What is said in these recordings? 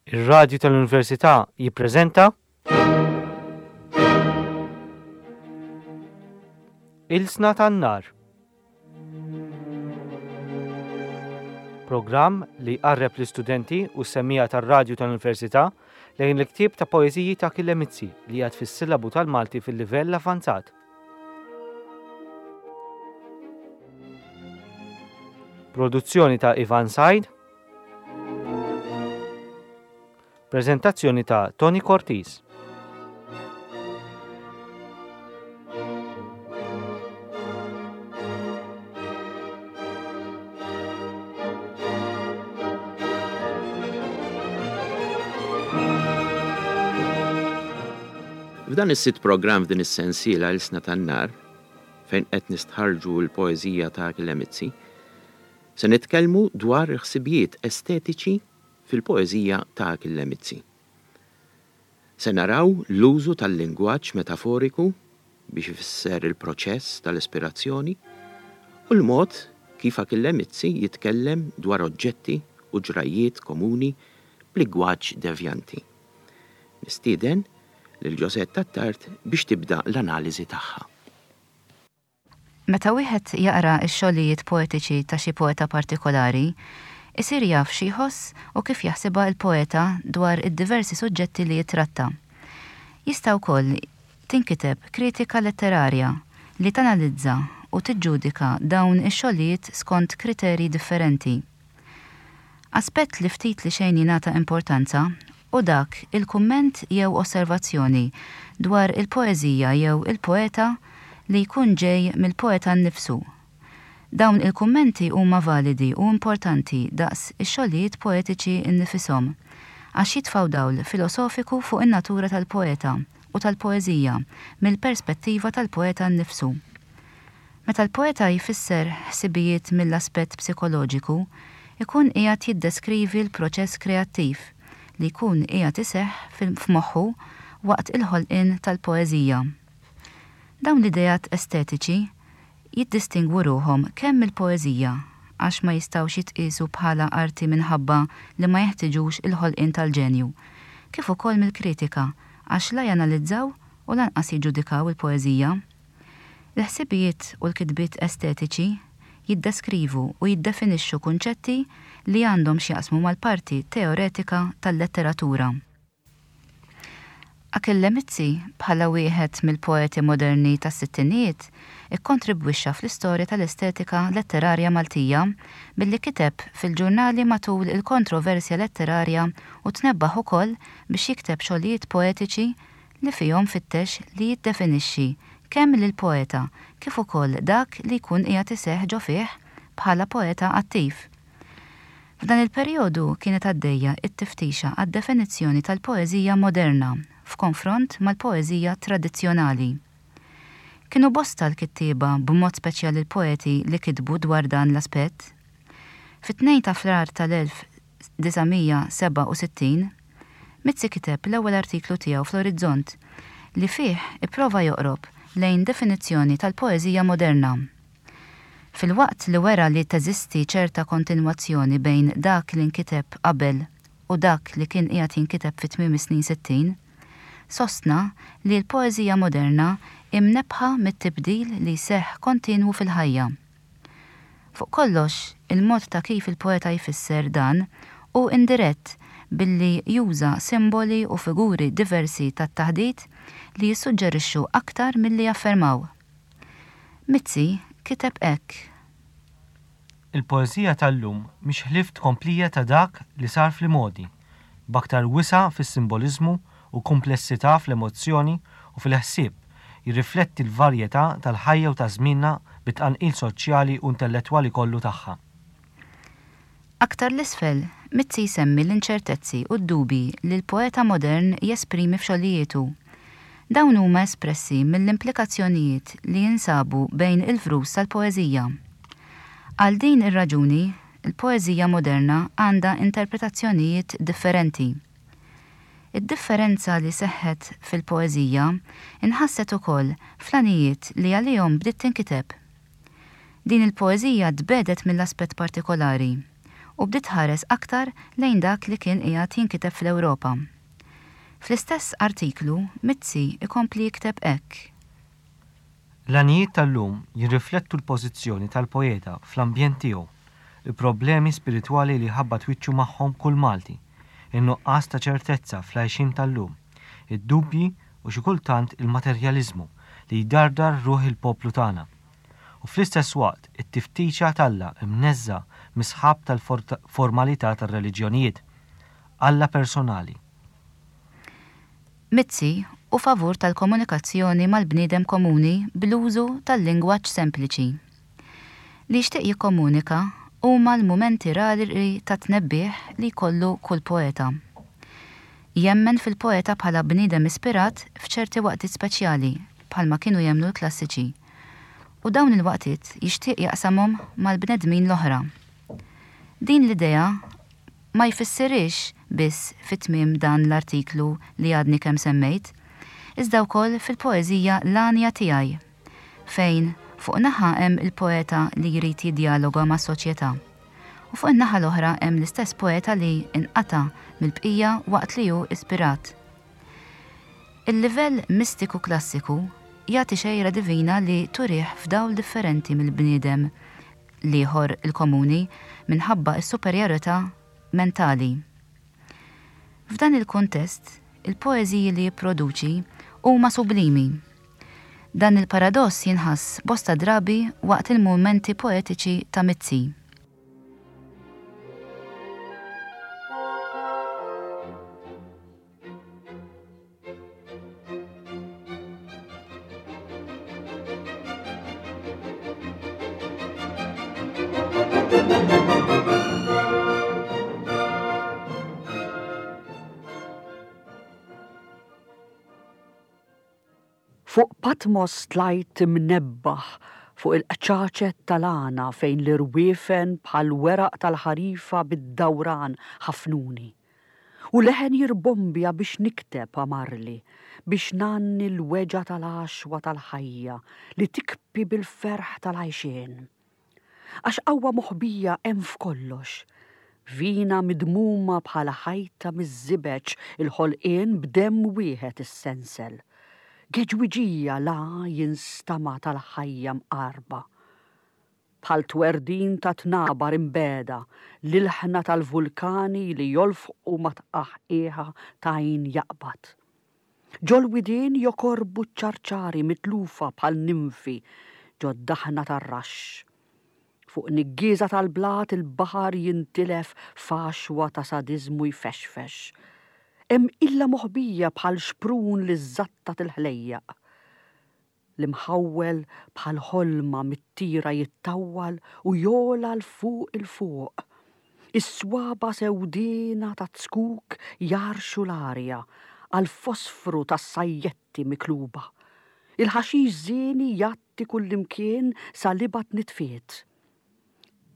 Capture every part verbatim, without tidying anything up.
Ir-Radju tal-Università jippreżenta Ilsna tan-Nar. Programm li jqarreb l-istudenti u s-semmiegħa tar-Radju tal-Università lejn il-ktieb ta' poeżiji ta' Achille Mizzi li qiegħed fis-sillabu tal-Malti fil-livell avvanzat. Produzzjoni ta' Ivan Said. Preżentazzjoni ta' Tony Cortis. F'dan is-sitt programm f'din is-sensiela Ilsna tan-Nar, fejn qed nistħarrġu l-poeżija ta' Achille Mizzi, se nitkellmu dwar il-ħsibijiet estetiċi fil-poeżija ta' Achille Mizzi. Se naraw l-użu tal-lingwaġġ metaforiku biex ifisser il-proċess tal-ispirazzjoni u l-mod kif Achille Mizzi jitkellem dwar oġġetti u ġrajjiet komuni b'lingwaġġ devjanti. Nistieden lil Josette Attard biex tibda l-analiżi tagħha. Meta wieħed jaqra x-xogħlijiet poetiċi ta' xi poeta partikolari, isir jaf xi jħoss u kif jaħsibha l-poeta dwar id-diversi suġġetti li jitratta. Jista' wkoll tinkiteb kritika letterarja li tanalizza u tiġġudika dawn ix-xogħlijiet skont kriterji differenti. Aspett li ftit li xejn jingħata importanza hu dak il-kumment jew osservazzjoni dwar il-poeżija jew il-poeta li jkun ġej mill-poeta nnifsu. Dawn il-kummenti huma validi u importanti daqs ix-xogħlijiet poetiċi nnifishom, għax jitfgħu dawl filosofiku fuq in-natura tal-poeta u tal-poeżija mill-perspettiva tal-poeta nnifsu. Meta l-poeta jfisser ħsibijiet mill-aspett psikoloġiku, ikun qiegħed jiddeskrivi l-proċess kreattiv li jkun qiegħed iseħħ f'moħħu waqt il-ħolqien tal-poeżija. Dawn l-ideat estetiċi jiddistingwu ruħhom kemm mill-poeżija għax ma jistgħux jitqiesu bħala arti minħabba li ma jeħtiġux il-ħolqien tal-ġenju, kif ukoll mill-kritika għax la janalizzaw u lanqas jiġġudikaw il-poeżija. Il-ħsibijiet u l-kitbiet estetiċi jiddeskrivu u jiddefinixxu kunċetti li għandhom x'jaqsmu mal-parti teoretika tal-letteratura. Achille Mizzi, bħala wieħed mill-poeti moderni tas-sittinijiet, ikkontribwixxa fl-istorja tal-estetika letterarja Maltija billi kiteb fil-ġurnali matul il-kontroversja letterarja u tnebbaħ ukoll biex jikteb xogħlijiet poetiċi li fihom fittex li jiddefinixxi kemm lill-poeta kif ukoll dak li jkun qiegħed iseħħ ġo fih bħala poeta attiv. F'dan il-perjodu kienet għaddejja t-tiftixa għad-definizzjoni tal-poeżija moderna f'konfront mal-poeżija tradizzjonali. Kienu bosta l-kittieba b'mod speċjali l-poeti li kitbu dwar dan l-aspett. Fit-tnejn ta' Frar tal-elf disa' mija sebgħa u sittin, Mizzi kiteb l-ewwel artiklu tiegħu fl-Orizzont li fih ipprova joqrob lejn definizzjoni tal-poeżija moderna. Filwaqt li wera li teżisti ċerta kontinwazzjoni bejn dak li nkiteb qabel u dak li kien qiegħed jinkiteb fi tmiem is-snin sittin, sostna li l-poeżija moderna imnebħa mit-tibdil li jseħħ kontinwu fil-ħajja. Fuq kollox, il-mod ta' kif il-poeta jfisser dan hu indirett billi juża simboli u figuri diversi tat-taħdit li jissuġġerixxu aktar milli jaffermaw. Mizzi kiteb hekk. Il-poeżija tal-lum mhix ħlief tkomplija ta' dak li sar fl-imgħodi, b'aktar wisa' fis-simboliżmu u komplessità fl-emozzjoni u fil-ħsieb jirrifletti l-varjetà tal-ħajja u ta' żmienna bit-tqanqil soċjali u intellettwali kollu tagħha. Aktar l-isfel, Mizzi jsemmi l-inċertezzi u d-dubi li l-poeta modern jesprimi f'xogħlijietu. Dawn huma espressi mill-implikazzjonijiet li jinsabu bejn il-vrus tal-poeżija. Għal din ir-raġuni, il-poeżija moderna għandha interpretazzjonijiet differenti. Id-differenza li seħħet fil-poeżija inħasset ukoll fl-għanijiet li għalihom bdiet tinkiteb. Din il-poeżija tbedet mill-aspett partikolari u bdiet tħares aktar lejn dak li kien qiegħed jinkiteb fl-Ewropa. Fl-istess artiklu, Mizzi ikompli jikteb hekk. L-għanjiet tal-lum jirriflettu l-pożizzjoni tal-poeta fl-ambjent tiegħu, il-problemi spiritwali li jħabbat wiċċu magħhom kull Malti, in-nuqqas ta' ċertezza fl-għajxien tal-lum, id-dubji u xi kultant il-materjaliżmu li jdardar ruħ il-poplu tagħna. U fl-istess waqt it-tiftixa t'Alla imneżża' mis-sħab tal-formalità tar-reliġjonijiet. Alla personali. Mizzi hu favur tal-komunikazzjoni mal-bniedem komuni bl-użu tal-lingwaġġ sempliċi. Li jixtieq jikkomunika huma l-mumenti rari ta' tnebbiħ li jkollu kull poeta. Jemmen fil-poeta bħala bniedem ispirat f'ċerti waqtiet speċjali bħalma kienu jemmnu l-klassiċi. U dawn il-waqtiet jixtieq jaqsamhom mal-bnedmin l-oħra. Din l-idea ma jfissirhiex biss fi tmiem dan l-artiklu li għadni kemm semmejt, iżda wkoll fil-poeżija L-Għanja Tiegħi, fejn fuq naħa hemm il-poeta li jrid jiddjaloga mas-soċjetà u fuq in-naħa l-oħra hemm l-istess poeta li inqata' mill-bqija waqt li hu ispirat. Il-livell mistiku klassiku jagħti xejra divina li turih f'dawl differenti mill-bniedem l-ieħor il-komuni minħabba s-superjorità mentali. F'dan il-kuntest, il-poeżiji li jipproduċi huma sublimi. Dan il-paradoss jinħass bosta drabi waqt il-mumenti poetiċi ta' Mizzi. Fuq Patmos tlajt imnebbaħ fuq il-qċaċet tal-għana fejn l-irwiefen bħal weraq tal-ħarifa bid-dawran ħafnuni. U leħen jirbombja biex nikteb amarli, biex ngħanni l-weġgħa tal-għaxwa tal-ħajja li tikbi bil-ferħ tal-għajxien. Għax qawwa moħbija hemm f'kollox, vina midmuma bħala ħajta miż-żibeġ il-ħolqien b'demm wieħed is-sensel. Geġwiġija la jinstama' tal-ħajja mqarba. Bħal twerdin ta' tnabar imbeda, l-ilħna tal-vulkani li jolfqu ma' tqaħqiħa tajn jaqbad. Ġol-widien jokorbu ċ-ċarċari mitlufa bħal ninfi ġod-daħna tar-raxx. Fuq niggieża tal-blat il-baħar jintilef f'għaxwa ta' sadiżmu jfexfex. Hemm illa moħbija bħal xprun li żżattat il-ħlejjaq. L-imħawwel bħal ħolma mit-tira jittawwal u jogħla 'l fuq 'il fuq. Is-swaba sewdiena ta' zkuk jarxu l-arja għall-fosfru tas-sajjetti mikluba. Il-ħaxix żieni jgħatti kullimkien sa libat nitfiet.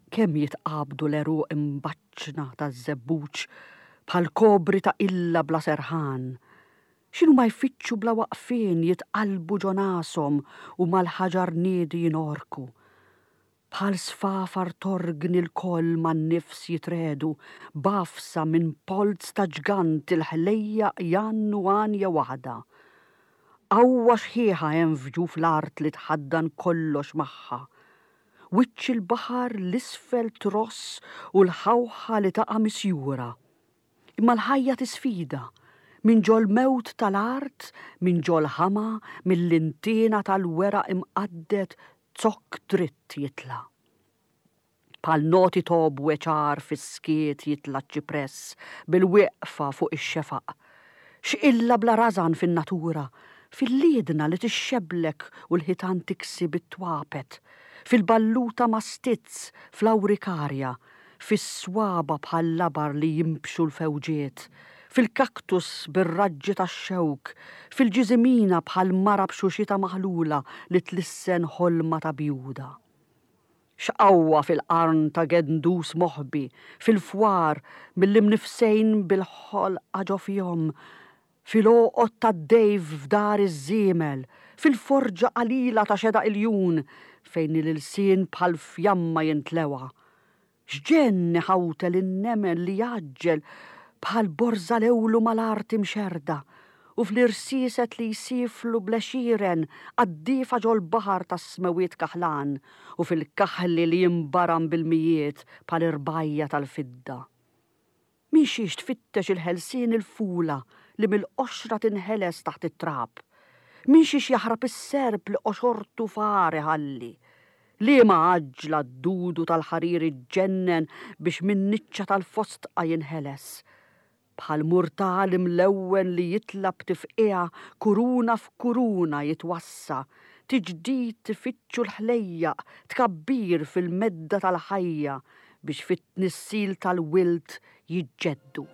Kemm jitqabdu l-għeruq imbaċċna taż-żebbuġ bħal kobri ta' illa bla serħan. X'inhu ma jfittxu bla waqfien jitqalbu ġo nashom u mal-ħaġar niedi jinorku. Bħal sfafar torgni l-koll man-nifs jitredu, b'għafsa minn polz ta' ġgant il-ħlejjaq jgħannu għanja waħda. Qawwa xħiħa hemm f'ġuf l-art li tħaddan kollox magħha. Wiċċ il-baħar l-isfel tross u l-ħawħa li taqa' misjura. Imma l-ħajja tisfida, minn ġol-mewt tal-art, minn ġol-ħama, mill-intiena tal-weraq imqadded zokk dritt jitla'. Bħal noti tobwe ċar fis-skiet jitla' ċ-ċipress bil-wieqfa fuq ix-xefaq. X'qilla bla rażan fin-natura, fil-liedna li tixxeblek u l-ħitan tiksi bit-twapet, fil-balluta ma' stizz, fl-awrikarja, fis-swaba bħal labar li jimbxu l-fewġiet, fil-kaktus bir-raġġi tax-xewk, fil-ġiżimina bħal mara b'xuxita maħlula li tlissen ħolma ta' bjuda. X'qawwa fil-qarn ta' gendus moħbi, fil-fwar mill-imnifsejn bil-ħolqa ġo fihom, fil-għoqod tad-dejf f'dar iż-żiemel, fil-forġa qalila ta' xedaq iljun fejn il-ilsien bħal fjamma jintlewa. X'ġenn iħawtel in-nemel li jgħaġġel bħal borża lewlu mal-art imxerrda u fl-irsieset li jsiflu bl-għexieren qaddiefa ġol-baħar tas-smewwiet kaħlan u fil-kaħli li jinbaram bil-mijiet bħal irbajja tal-fidda. Minn xiex tfittex il-ħelsien il-fula li mill-qoxra tinħeles taħt it-trab? Minn xiex jaħrab is-serp li qoxortu far iħalli? Liema għaġla d-dudu tal-ħarir iġġennen biex min-niċċa tal-fosdqa jinħeles? Bħal murtal imlewwen li jitla' b'tifqigħa kuruna f'kuruna jitwassa', tiġdid ifittxu l-ħlejjaq, tkabbir fil-medda tal-ħajja biex fit-tnissil tal-wild jiġġeddu.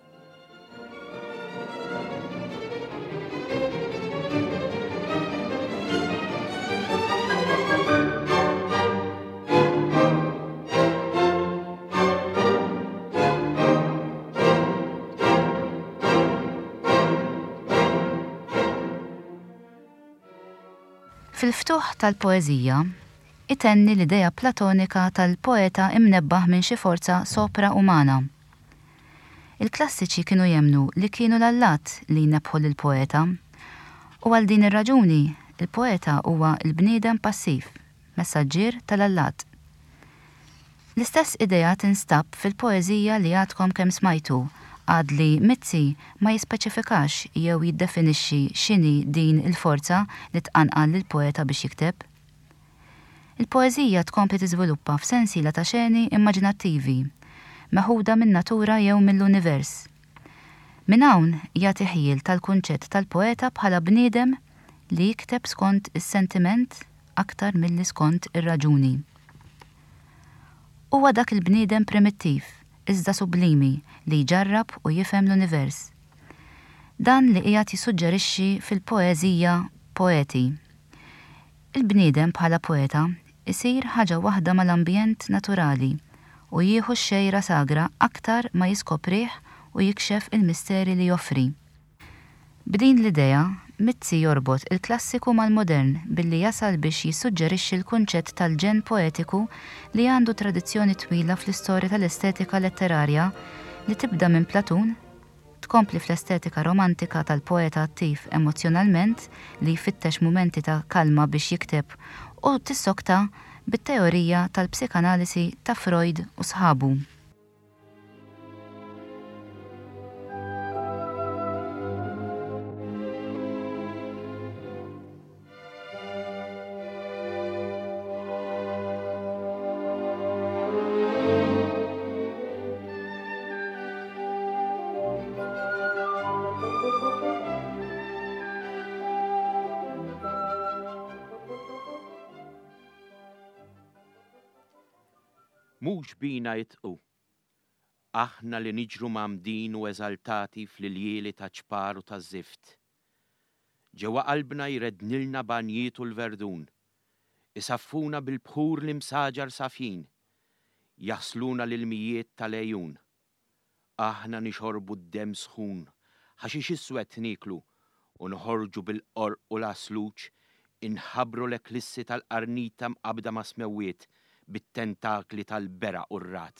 Fil-ftuħ tal-poeżija, itenni l-idea Platonika tal-poeta imnebbaħ minn xi forza sopra-umana. Il-klassiċi kienu jemmnu li kienu l-allat li jnebbħu lill-poeta, u għal din ir-raġuni il-poeta huwa l-bniedem passiv, messaġġier tal-allat. L-istess idea tinstab fil-poeżija li għadkom kemm smajtu, għad li Mizzi ma jispeċifikax jew jiddefinixxi x'inhi din il-forza li tqanqal lill-poeta biex jikteb. Il-poeżija tkompli tiżviluppa f'sensiela ta' xeni immaġinattivi, meħuda min-natura jew mill-univers. Minn hawn jagħti ħjiel tal-kunċett tal-poeta bħala bniedem li jikteb skont is-sentiment aktar milli skont ir-raġuni. Huwa dak il-bniedem primittiv, iżda sublimi, li jġarrab u jifhem l-univers. Dan li qiegħed jissuġġerixxi fil-poeżija Poeti. Il-bniedem bħala poeta isir ħaġa waħda mal-ambjent naturali u jieħu x-xejra sagra aktar ma jiskoprih u jikxef il-misteri li joffri. B'din l-idea, Mizzi jorbot il-klassiku mal-modern billi jasal biex jissuġġerixxi l-kunċett tal-ġenn poetiku li għandu tradizzjoni twila fl-istorja tal-estetika letterarja li tibda minn Platun, tkompli fl-estetika romantika tal-poeta attiv emozzjonalment li jfittex mumenti ta' kalma biex jikteb u tissokta bit-teorija tal-psikanalisi ta' Freud u sħabu. Mhux bina jitqu. Aħna li niġru mgħammdin u eżaltati fl-iljieli ta' ċpar u ta' żift. Ġewwa qalbna jrednilna banjietu l-verdun, isaffuna bil-bħur l-imsaġar safjin, jaħsluna l-ilmijiet tal-għejun. Aħna nixorbu d-demm sħun, ħaxix iswed nieklu u noħorġu bil-qorq u l-għasluġ, inħabbru l-eklissi tal-qarnita mqabda ma' smewwiet bit-tentakli tal-beraq u r-rad.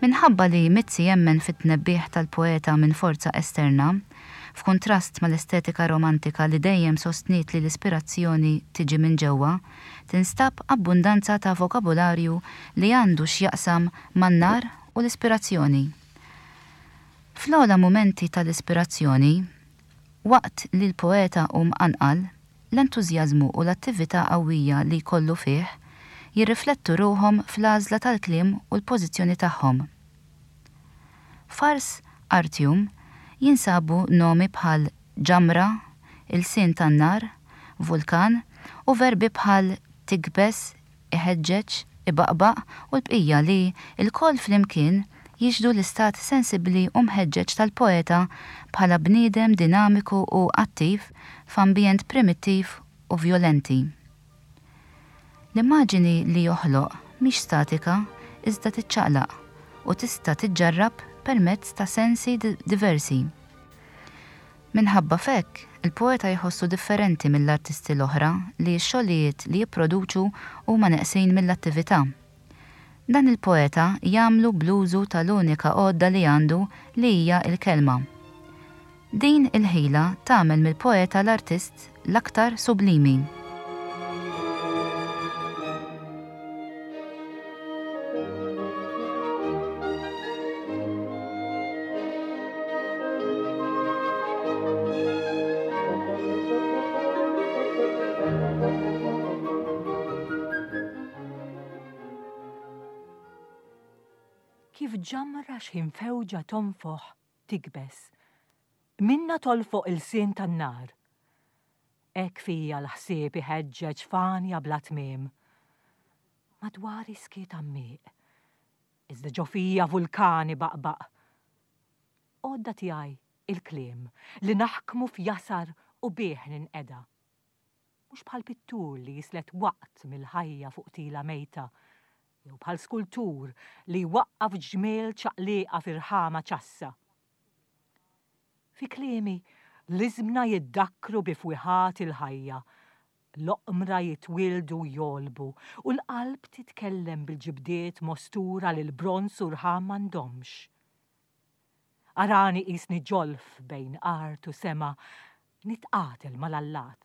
Minħabba li Mizzi jemmen fit-tnebbiħ tal-poeta minn forza esterna, f'kuntrast mal-estetika romantika li dejjem sostniet li l-ispirazzjoni tiġi minn ġewwa, tinstab abbundanza ta' vokabularju li għandu x'jaqsam man-nar u l-ispirazzjoni. Fl-ogħla mumenti tal-ispirazzjoni, waqt li l-poeta hu mqanqal, l-entużjażmu u l-attività qawwija li jkollu fih jirriflettu ruħhom fl-għażla tal-kliem u l-pożizzjoni tagħhom. F'Ars Artium jinsabu nomi bħal ġamra, ilsien tan-nar, vulkan u verbi bħal tikbes, iħeġġeġ, ibaqbaq u l-bqija li lkoll flimkien jixhdu l-istat sensibbli u mħeġġeġ tal-poeta bħala bniedem dinamiku u attiv f'ambjent primittiv u vjolenti. L-immaġini li joħloq mhix statika iżda tiċċaqlaq u tista' tiġġarrab permezz ta' sensi diversi. Minħabba f'hekk, il-poeta jħossu differenti mill-artisti l-oħra li x-xogħlijiet li jipproduċu huma neqsin mill-attività. Dan il-poeta jagħmlu bl-użu tal-unika għodda li għandu li hija l-kelma. Din il-ħila tagħmel mill-poeta l-artist l-aktar sublimi. Kif ġamra x'ħin fewġa tonfoħ tikbes, minna tolfoq il-sien tan-nar. Hekk fija l-ħsieb iħeġġeġ fanja bla tmiem. Madwari skiet għammieq, iżda ġo fija vulkani baqbaq. Għodda tiegħi il-kliem li naħkmu f'jasar u bih ninqeda. Mhux bħal pittur li jislet waqt mill-ħajja fuq tila mejta, jew bħal skultur li jwaqqaf ġmiel ċaqliqa f'irħama ċassa. Fi kliemi l-iżmna jiddakkru bi fwiħat il-ħajja, l-oqmra jitwieldu jolbu u l-qalb titkellem bil-ġibdiet mostura li l-bronz u rħam m'għandhomx. Arani qisni ġolf bejn art u sema, nitqatel mal-allat.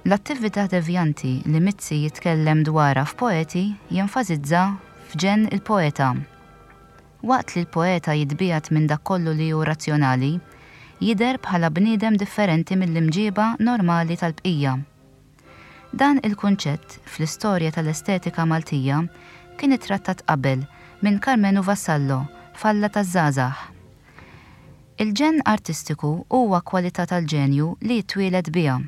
L-attività devjanti li Mizzi jitkellem dwarha f'Poeti jenfasizza f'ġenn il-poeta. Waqt li l-poeta jitbiegħed minn dak kollu li hu razzjonali, jidher bħala bniedem differenti mill-imġiba normali tal-bqija. Dan il-kunċett fl-istorja tal-estetika Maltija kien ittrattat qabel minn Karmenu Vassallo f'Alla taż-Żgħażagħ. Il-ġenn artistiku huwa kwalità tal-ġenju li jitwieled biha.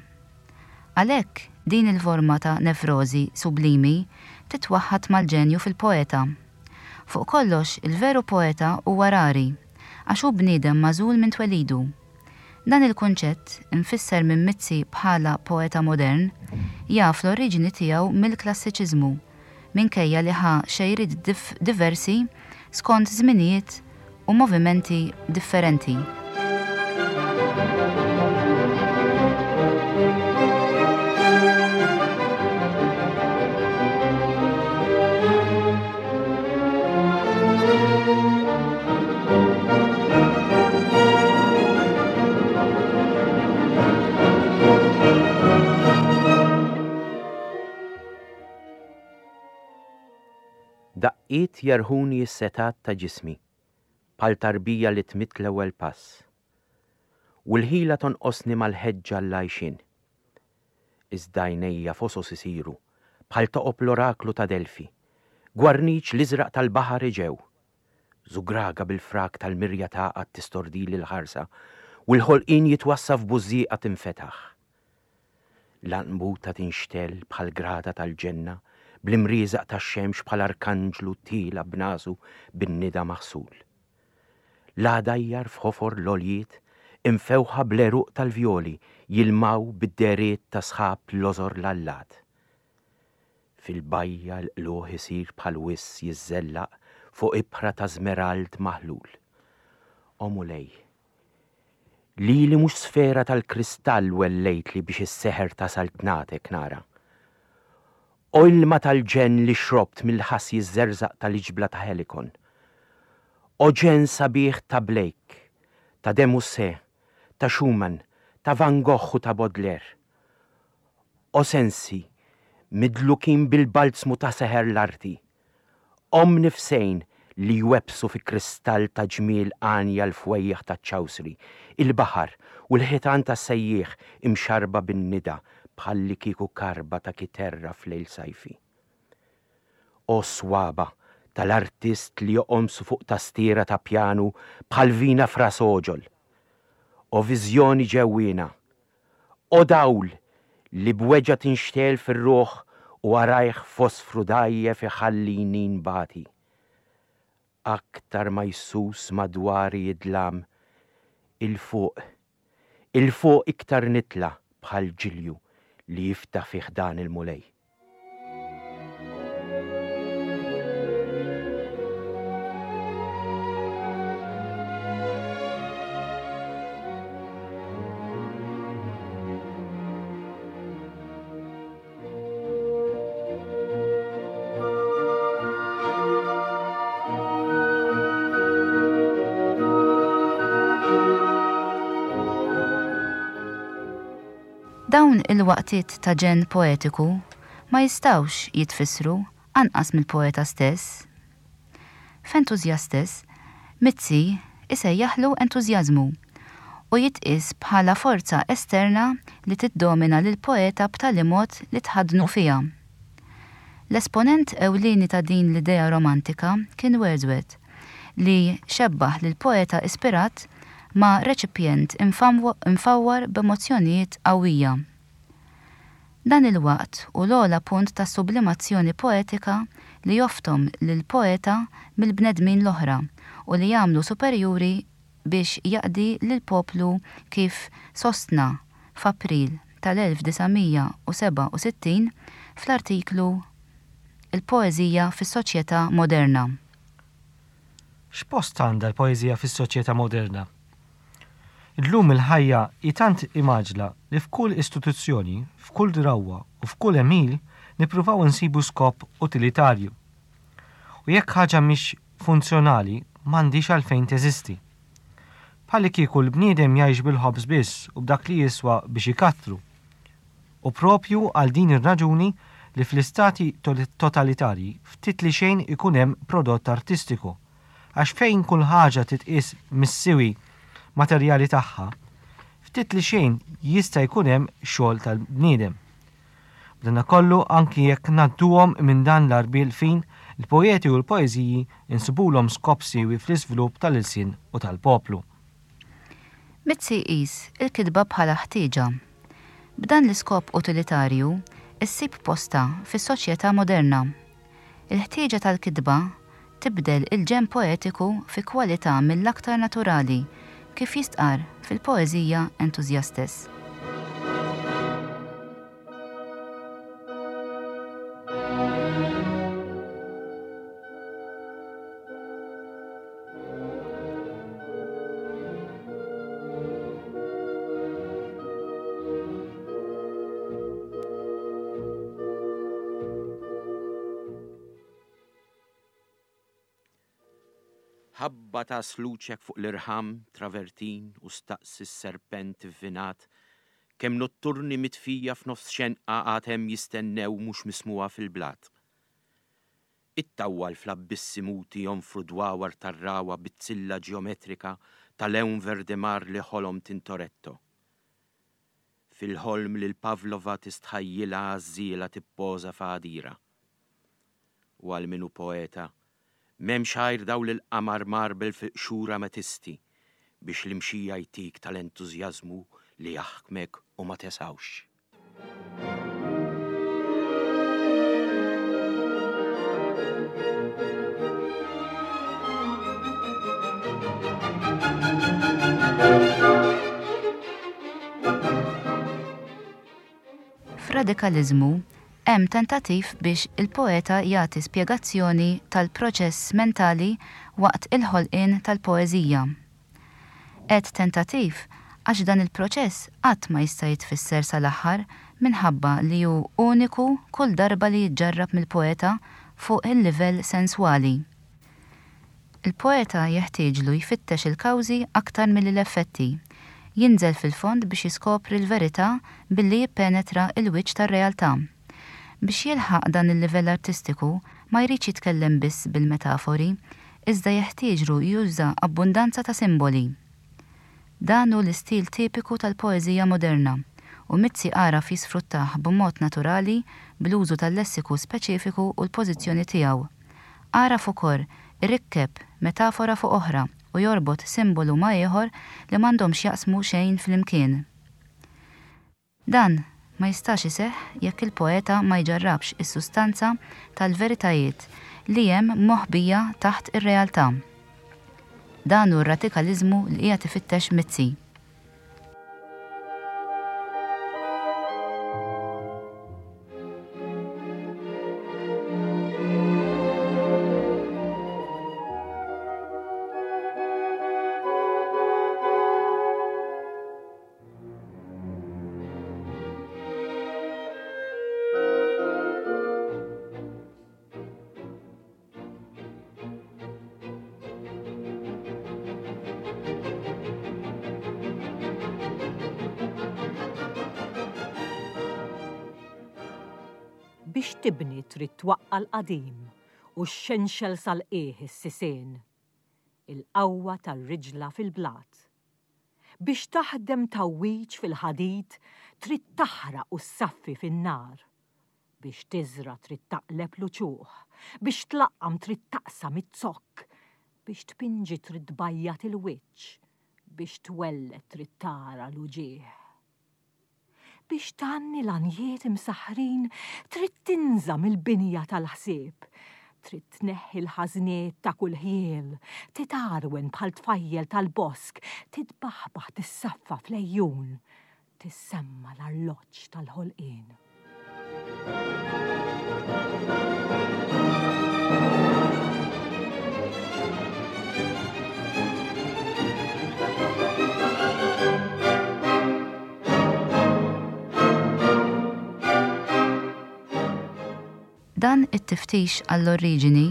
Għalhekk din il-forma ta' nevrożi sublimi titwaħħad mal-ġenju fil-poeta. Fuq kollox, il-veru poeta huwa rari, għax hu bniedem magħżul minn twelidu. Dan il-kunċett, imfisser minn Mizzi bħala poeta modern, jaf l-oriġini tiegħu mill-klassiċiżmu, minkejja li ħa xejriet diversi skont żminijiet u movimenti differenti. Daqqiet jerħuni s-setat ta' ġismi, bħal tarbija li tmitt l-ewwel pass. U l-ħila tonqosni mal-ħeġġa l-għajxin. Iżda għajnejja fosos isiru, bħal toqob l-oraklu ta' Delfi, gwarniċ l-iżraq tal-baħar iġew. Żugraga bil-frak tal-mirja taqgħad tistordili l-ħarsa, u l-ħolqien jitwassa f'bużżieqa tinfetaħ. L-anbuta tinxtell bħal grada tal-ġenna, bl-imrieżaq tax-xemx bħal arkanġlu tila b'nasu bin-nida maħsul. L-għadajjar f'ħofor l-għoljiet imfewħa bl-għeruq tal-vjoli jilmaw bid-deriet ta' sħab l-lożor l-allat. Fil-bajja l-qluħ isir bħal wiss jiżżellaq fuq ibħra ta' żmerald maħlul. O Mulej, lili mhux sfera tal-kristall wellejtli biex is-seħer ta' saltnatek nara. O ilma tal-ġenn li xrobt mill-ħass jiżżerżaq tal-iġbla ta' Helikon. O ġenn sabiħ ta' Blake, ta' de Musset, ta' Schumann, ta' Van Gogh u ta' Baudelaire. O sensi, midlukin bil-balzmu ta' seħer l-arti. O mnifsejn li jwebsu fi kristall ta' ġmiel għanja l-fwejjaħ ta' ċawsri, il-baħar u l-ħitan ta' sejjieħ imxarba bin-nida bħallikieku karba ta' kiterra f'lejl sajfi. O swaba' tal-artist li joqomsu fuq tastiera ta' pjanu bħal vina f'ras għoġol. O viżjoni ġewwiena. O dawl li b'weġgħa tinxtegħel fir-ruħ u warajh fosfru dgħajjef iħallini nbati. Aktar ma jsus madwari id-dlam, 'il fuq, 'il fuq iktar nitla' bħal ġilju li jiftaħ fi ħdan il-Mulej. Dawn il-waqtiet ta' ġenn poetiku ma jistgħux jitfissru anqas mill-poeta stess. F'Enthusiastes, Mizzi isejjaħlu entużjażmu u jitqies bħala forza esterna li tiddomina lill-poeta b'tali mod li tħaddnu fiha. L-esponent ewlieni ta' din l-idea romantika kien Wordsworth li xebbaħ lill-poeta ispirat ma' reċipjent imfawwar b'emozzjonijiet qawwija. Dan il-waqt hu l-ogħla punt tas-sublimazzjoni poetika li joftom lill-poeta mill-bnedmin l-oħra u li jagħmlu superjuri biex jaqdi lill-poplu kif sostna f'April tal-elf disa' mija u sebgħa u sittin fl-artiklu Il-Poeżija fis-Soċjetà Moderna. X'post għandha l-poeżija fis-soċjetà moderna? Illum il-ħajja hi tant imgħaġġla li f'kull istituzzjoni, f'kull drawwa u f'kull għemil nippruvaw insibu skop utilitarju. U jekk ħaġa mhix funzjonali m'għandhiex għalfejn teżisti. Bħallikieku l-bniedem jgħix bil-ħobż biss u b'dak li jiswa biex ikattru. U propju għal din ir-raġuni li fl-istati totalitarji ftit li xejn ikun hemm prodott artistiku, għax fejn kull ħaġa titqies mis-siwi materjali tagħha, ftit li xejn jista' jkun hemm xogħol tal-bniedem. B'danakollu anki jekk ngħadduhom minn dan l-għarbiel fin, il-poeti u l-poeżiji insibulhom skop siewi fl-iżvilupp tal-ilsien u tal-poplu. Mizzi jqis il-kitba bħala ħtieġa. B'dan l-iskop utilitarju issib postha fis-soċjetà moderna. Il-ħtieġa tal-kitba tibdel il-ġenn poetiku fi kwalità mill-aktar naturali kif jistqarr fil-poeżija Enthusiastes. Ħabba ta' sluċek fuq l-irħam travertin u staqsi s-serpent ivvinat kemm notturni mitfija f'nofs xenqa għad hemm jistennew mhux mismuha fil-blat. Ittawwal fl-abbissi muti jonfru dwawar tar-rawa bizzilla ġeometrika ta' lewn verdemar li ħolom Tintoretto. Fil-ħolm lil Pavlova tistħajjilha għażżiela tippoża f'għadira. U għal min hu poeta, m'hemmx għajr dawl il-qamar marbel fil-qxur ametisti biex l-imxija jtik tal-entużjażmu li jaħkmek u ma tesawx. F'radikaliżmu hemm tentattiv biex il-poeta jagħti spjegazzjoni tal-proċess mentali waqt il-ħolqien tal-poeżija. Għedt tentattiv għax dan il-proċess qatt ma jista' jitfisser sal-aħħar minħabba li hu uniku kull darba li jiġġarrab mill-poeta fuq il-livell senswali. Il-poeta jeħtieġlu jfittex il-kawżi aktar milli l-effetti, jinżel fil-fond biex jiskopri l-verità billi jippenetra l-wiċċ tar-realtà. Biex jilħaq dan il-livell artistiku ma jridx jitkellem biss bil-metafori, iżda jeħtieġlu juża abbundanza ta' simboli. Dan hu l-istil tipiku tal-poeżija moderna u Mizzi għaraf jisfruttah b'mod naturali bl-użu tal-lessiku speċifiku u l-pożizzjoni tiegħu. Għaraf ukoll irikkeb metafora fuq oħra u jorbot simbolu ma' ieħor li m'għandhom x'jaqsmu xejn flimkien. Dan ma jistax iseħħ jekk il-poeta ma jġarrabx is-sustanza tal-veritajiet li hemm moħbija taħt ir-realtà. Dan hu r-radikaliżmu li qiegħed ifittex Mizzi. Biex tibni trid twaqqa' l-qadim u xxenxel sal-qiegħ is-sisien. Il-qawwa tar-riġla fil-blat. Biex taħdem tgħawwiġ fil-ħadid trid taħraq u ssaffi fin-nar. Biex tiżra' trid taqleb l-uċuħ, biex tlaqqam trid taqsam iz-zokk, biex tpinġi trid tbajjad il-wiċċ, biex twelled trid tara l-uġigħ. Biex tgħanni l-għanjiet imsaħħrin trid tinża' mill-binja tal-ħsieb, trid tneħħi l-ħażniet ta' kull ħjiel, titgħarwen bħal tfajjel tal-bosk, titbaħbaħ tissaffa fl-għejjun, tissemma l-arloġġ tal-ħolqien. Dan it-tiftix għall-oriġini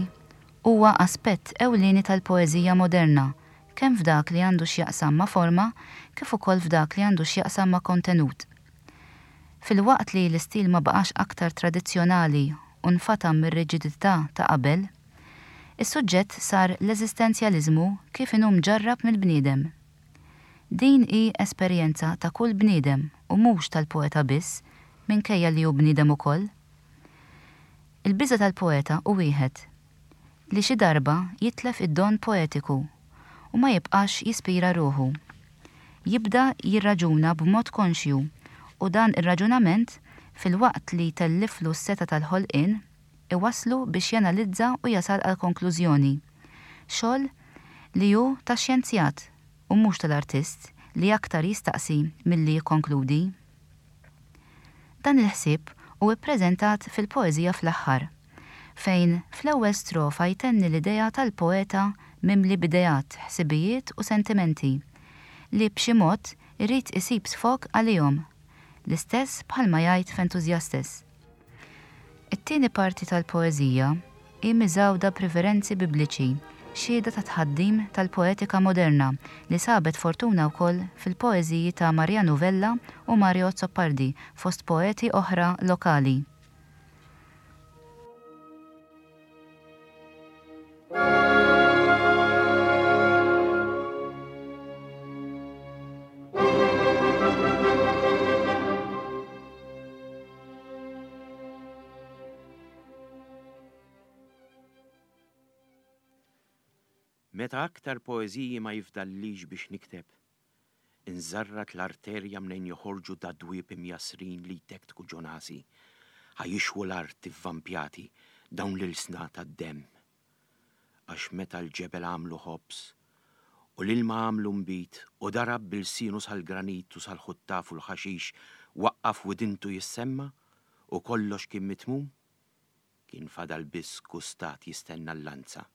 huwa aspett ewlieni tal-poeżija moderna, kemm f'dak li għandu x'jaqsam ma' forma kif ukoll f'dak li għandu x'jaqsam ma' kontenut. Filwaqt li l-istil ma baqax aktar tradizzjonali u nfatam mir-riġidità ta' qabel, is-suġġett sar l-eżistenzjaliżmu kif inhu mġarrab mill-bniedem. Din hi esperjenza ta' kull bniedem u mhux tal-poeta biss, minkejja li hu bniedem ukoll. Il-biża' tal-poeta hu wieħed, li xi darba jitlef id-don poetiku u ma jibqax jispira ruħu. Jibda jirraġuna b'mod konxju u dan ir-raġunament, filwaqt li jtelliflu s-setgħa tal-ħolqien, iwasslu biex janalizza u jasal għal konklużjoni. Xogħol li hu tax-xjenzjat u mhux tal-artist li aktar jistaqsi milli jikkonkludi. Dan il-ħsieb hu ppreżentat fil-poeżija fl-aħħar, fejn fl-ewwel strofa jtenni l-idea tal-poeta mimli b'ideat, ħsibijiet u sentimenti li b'xi mod irid isib sfog għalihom, l-istess bħalma jgħid f'Enthusiastes. It-tieni parti tal-poeżija hi miżgħuda b'riverenzi bibliċi, xhieda ta' tħaddim tal-poetika moderna li sabet fortuna wkoll fil-poeżiji ta' Mariano Vella u Mario Azzopardi fost poeti oħra lokali. Meta aktar poeżiji ma jifdallix biex nikteb, inżarrat l-arterja mnejn joħorġu dadwieb imjassrin li jtektku ġo nasi, ħa jixwu l-art ivvampjati dawn l-ilsna tad-demm. Għax meta l-ġebel għamlu ħobż u l-ilma għamlu nbid u darab bil-sinu sal-granit u sal-ħuttaf u l-ħaxix waqqaf widintu jissemma u kollox kien mitmum, kien fadal biss kustat jistenna l-lanza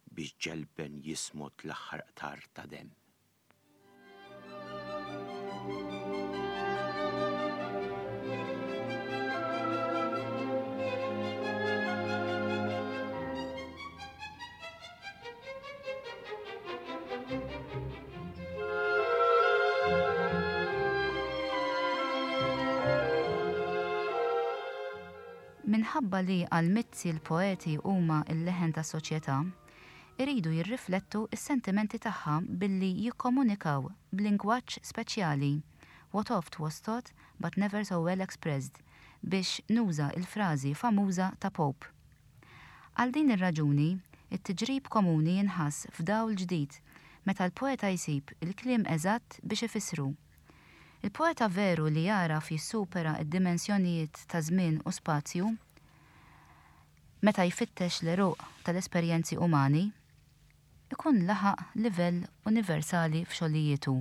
biex ġelben jismot l-aħħar qtar ta' demm. Minħabba li għal Mizzi l-poeti huma l-leħen tas-soċjetà, iridu jirriflettu s-sentimenti tagħha billi jikkomunikaw b'lingwaġġ speċjali, what oft was taught but never so well expressed, biex nuża il-frażi famuża ta' Pope. Għal din ir-raġuni, it-tiġrib komuni jinħass f'dawl ġdid meta l-poeta jsib il-kliem eżatt biex ifissru. Il-poeta veru li jagħraf jissupera d-dimensjonijiet ta' żmien u spazju, meta jfittex l-għeruq tal-esperjenzi umani, ikun laħaq livell universali f'xogħlijietu.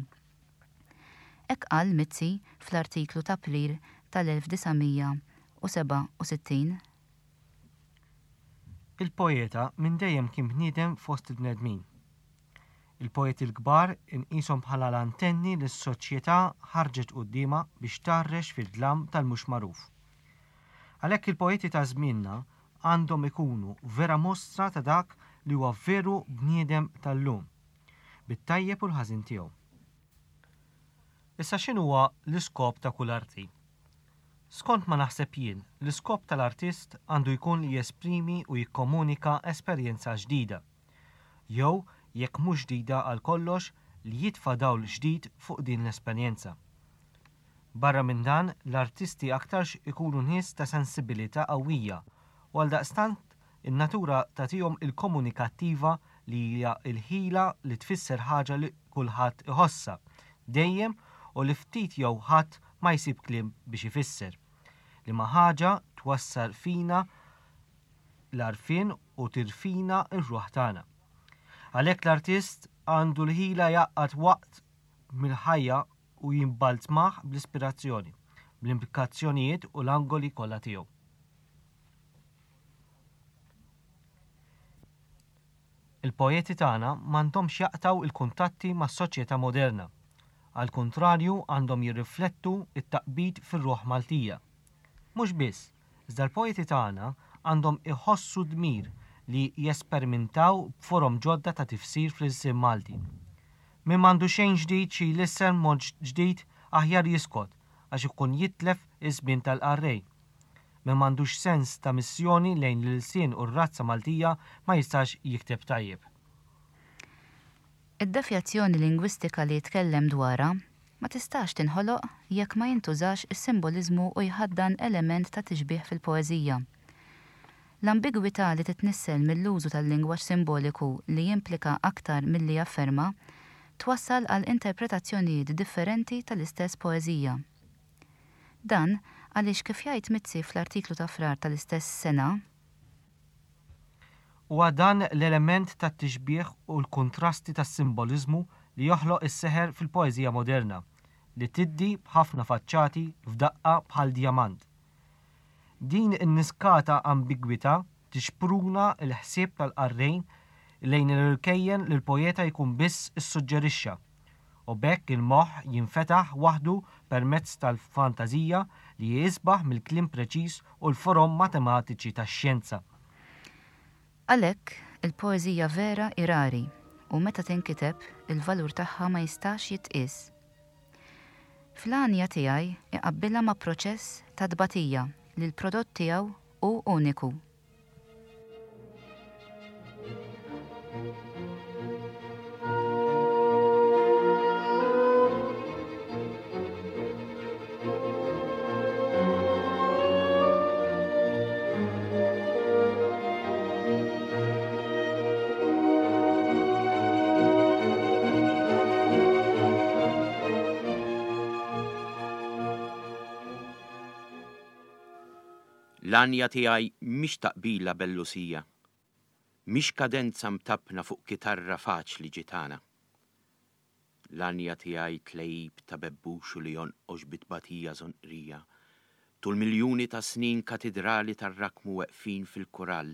Hekk qal Mizzi fl-artiklu ta' April tal-elf disa' mija u sebgħa u sittin. Il-poeta minn dejjem kien bniedem fost il-bnedmin. Il-poeti l-kbar inqishom bħala l-antenni li s-soċjetà ħarġet quddiemha biex tgħarrex fid-dlam tal-mhux magħruf. Għalhekk il-poeti ta' żmienna għandhom ikunu vera mostra ta' dak li huwa veru bniedem tal-lum, bit-tajjeb u l-ħażin tiegħu. Issa x'inhuwa l-iskop ta' kull arti? Skont ma naħseb jien, l-iskop tal-artist għandu jkun li jesprimi u jikkomunika esperjenza ġdida. Jew, jekk mhux ġdida għal kollox, li jitfa' dawl ġdid fuq din l-esperjenza. Barra minn dan, l-artisti aktarx ikunu nies ta' sensibilità qawwija u għal daqstant in-natura tagħtihom il-komunikattiva li hija l-ħila li tfisser ħaġa li kulħadd iħossha dejjem u li ftit jew ħadd ma jsib kliem biex ifisser. Liema ħaġa twassal fina l-għarfien u tirfina r-ruħ tagħna. Għalhekk l-artist għandu l-ħila jgħaqqad waqt mill-ħajja u jimbalzmah bl-ispirazzjoni, bl-implikazzjonijiet u l-angoli kollha tiegħu. Il-poeti tagħna m'għandhomx jaqtgħu il-kuntatti mas-soċjetà moderna. Għal kontrarju għandhom jirriflettu it-taqbid fir-ruħ Maltija. Mhux biss, iżda l-poeti tagħna għandhom iħossu dmir li jesperimentaw b'forom ġodda ta' tifsir fl-ilsien Malti. Min m'għandu xejn ġdid xi jlissen mod ġdid aħjar jiskot għax ikun jitlef iż-żmien tal-qarrej. Min m'għandux sens ta' missjoni lejn l-ilsien u r-razza Maltija ma jistax jikteb tajjeb. Id-devjazzjoni lingwistika li jitkellem dwarha ma tistax tinħoloq jekk ma jintużax is-simboliżmu u jħaddan element ta' tixbih fil-poeżija. L-ambigwità li titnissel mill-użu tal-lingwaġġ simboliku li jimplika aktar milli jafferma twassal għal interpretazzjonijiet differenti tal-istess poeżija. Dan għaliex kif jgħid Mizzi fl-artiklu ta' Frar tal-istess sena, Huwa dan l-element tat-tixbih u l-kontrasti tas-simboliżmu li joħloq is-seħer fil-poeżija moderna, li tiddi b'ħafna faċċati f'daqqa bħal djamant. Din in-niskata ambigwità tixpruna l-ħsieb tal-qarrejn lejn l-irkejjen li l-poeta jkun biss issuġġerixxa, u b'hekk il-moħħ jinfetaħ waħdu permezz tal-fantażija li jisbaħ mill-kliem preċiż u l-forom matematiċi tax-xjenza. Għalhekk, il-poeżija vera hi rari u meta tinkiteb il-valur tagħha ma jistax jitqies. Fl-għanja tiegħi iqabbilha ma' proċess ta' tbatija li l-prodott tiegħu hu uniku. L-għanja tiegħi mhix taqbila bellusija, mhix kadenza mtappna fuq kitarra faċli ġitana. L-għanja tiegħi tlejb ta' bebbuxu li jonqox bitbatija żonqrija, tul miljuni ta' snin katidrali tar-rakmu weqfin fil-kurall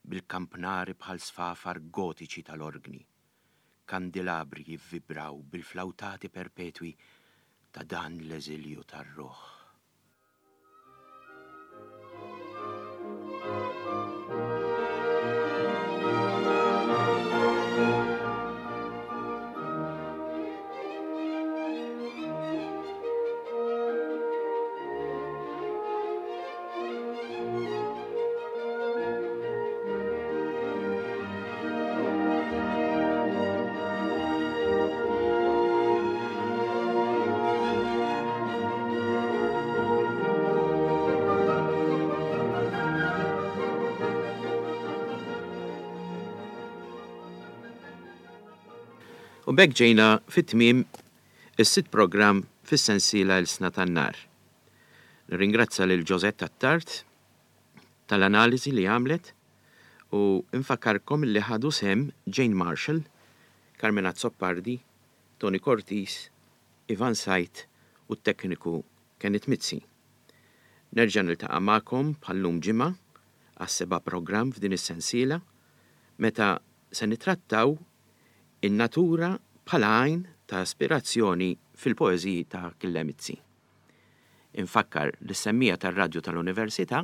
bil-kampnari bħal sfafar gotiċi tal-orgni. Kandilabri jivvibraw bil-flawtati perpetwi ta' dan l-eżilju tar-ruħ. U b'hekk ġejna fit-tmiem is-sitt programm fis-sensiela Ilsna tan-Nar. Nirringrazzja lil Josette Attard tal-analiżi li għamlet u nfakkarkom li ħadu sehem Jane Marshall, Carmen Azzopardi, Tony Cortis, Ivan Sajt u t-tekniku Kenneth Mizzi. Nerġa' niltaqa' magħkom bħal-lum ġimgħa għas-seba' programm f'din is-sensiela meta se nitrattaw in-natura bħala għajn ta' aspirazzjoni fil-poeżiji ta' Achille Mizzi. Infakkar lis-semmiegħa tar-radju tal-Università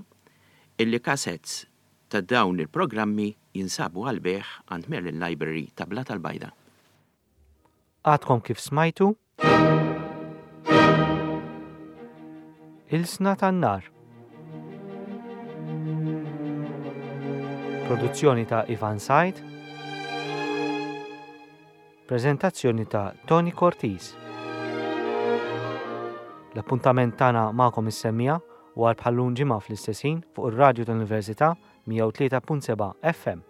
illi cassettes ta' dawn il-programmi jinsabu għall-bejgħ għand Merlin Library ta' Blata l-Bajda. Għadkom kif smajtu Ilsna tan-Nar. Produzzjoni ta' Ivan Said. Prezentazzjoni ta' Tony Cortez. L-appuntament tagħna magħkom is-semmiegħa u għal bħal-lum ġimgħa fl-istess ħin fuq ir-radju tal-Università mija u tlieta punt seba' F M.